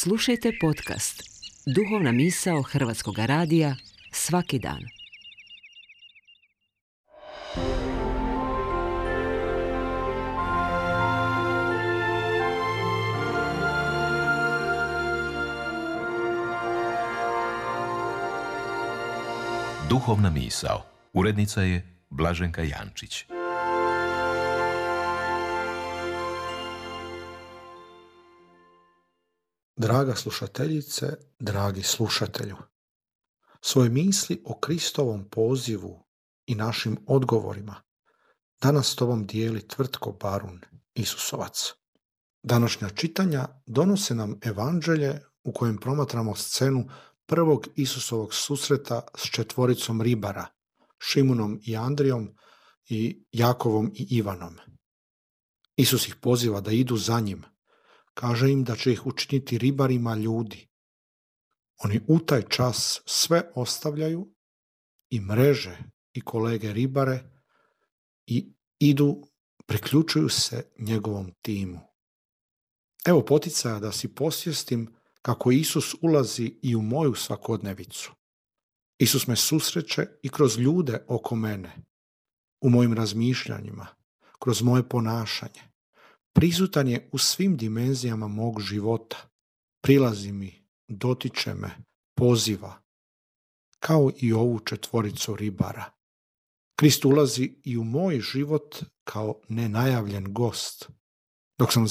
Slušajte podcast Duhovna misao Hrvatskog radija svaki dan. Duhovna misao. Urednica je Blaženka Jančić. Draga slušateljice, dragi slušatelju, svoje misli o Kristovom pozivu i našim odgovorima danas s tobom dijeli Tvrtko Barun, Isusovac. Današnja čitanja donose nam evanđelje u kojem promatramo scenu prvog Isusovog susreta s četvoricom ribara, Šimunom i Andrijom i Jakovom i Ivanom. Isus ih poziva da idu za njim. Kaže im da će ih učiniti ribarima ljudi. Oni u taj čas sve ostavljaju i mreže i kolege ribare i idu, priključuju se njegovom timu. Evo poticaja da si posvjestim kako Isus ulazi i u moju svakodnevicu. Isus me susreće i kroz ljude oko mene, u mojim razmišljanjima, kroz moje ponašanje. Prisutan je u svim dimenzijama mog života. Prilazi mi, dotiče me, poziva. Kao i ovu četvoricu ribara. Krist ulazi i u moj život kao nenajavljen gost. Dok sam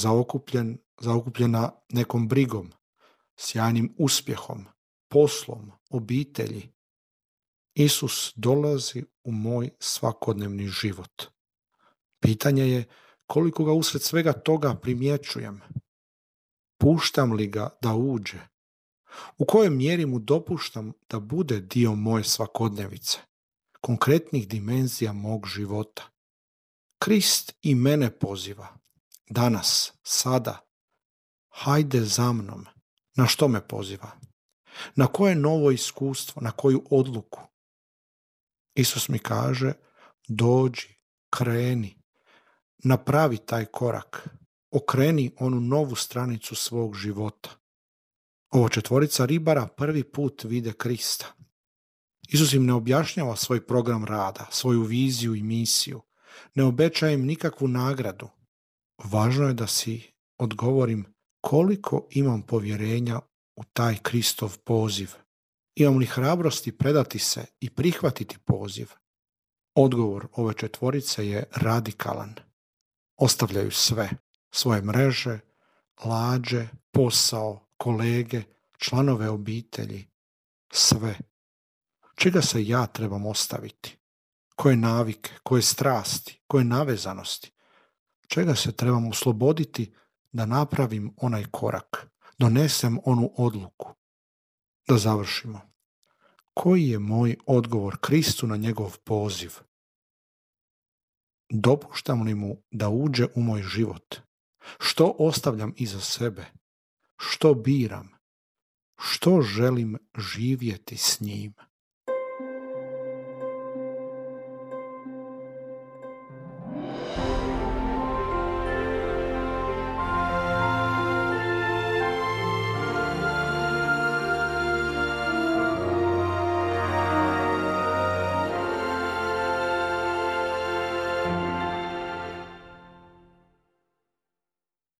zaokupljena nekom brigom, sjajnim uspjehom, poslom, obitelji, Isus dolazi u moj svakodnevni život. Pitanje je koliko ga usred svega toga primjećujem. Puštam li ga da uđe? U kojoj mjeri mu dopuštam da bude dio moje svakodnevice, konkretnih dimenzija mog života? Krist i mene poziva. Danas, sada. Hajde za mnom. Na što me poziva? Na koje novo iskustvo? Na koju odluku? Isus mi kaže, dođi, kreni. Napravi taj korak, okreni onu novu stranicu svog života. Ovo četvorica ribara prvi put vide Krista. Isus im ne objašnjava svoj program rada, svoju viziju i misiju. Ne obećaje im nikakvu nagradu. Važno je da si odgovorim koliko imam povjerenja u taj Kristov poziv. Imam li hrabrosti predati se i prihvatiti poziv? Odgovor ove četvorice je radikalan. Ostavljaju sve, svoje mreže, lađe, posao, kolege, članove obitelji, sve. Čega se ja trebam ostaviti? Koje navike, koje strasti, koje navezanosti? Čega se trebam osloboditi da napravim onaj korak, donesem onu odluku? Da završimo. Koji je moj odgovor Kristu na njegov poziv? Dopuštam li mu da uđe u moj život? Što ostavljam iza sebe? Što biram? Što želim živjeti s njim?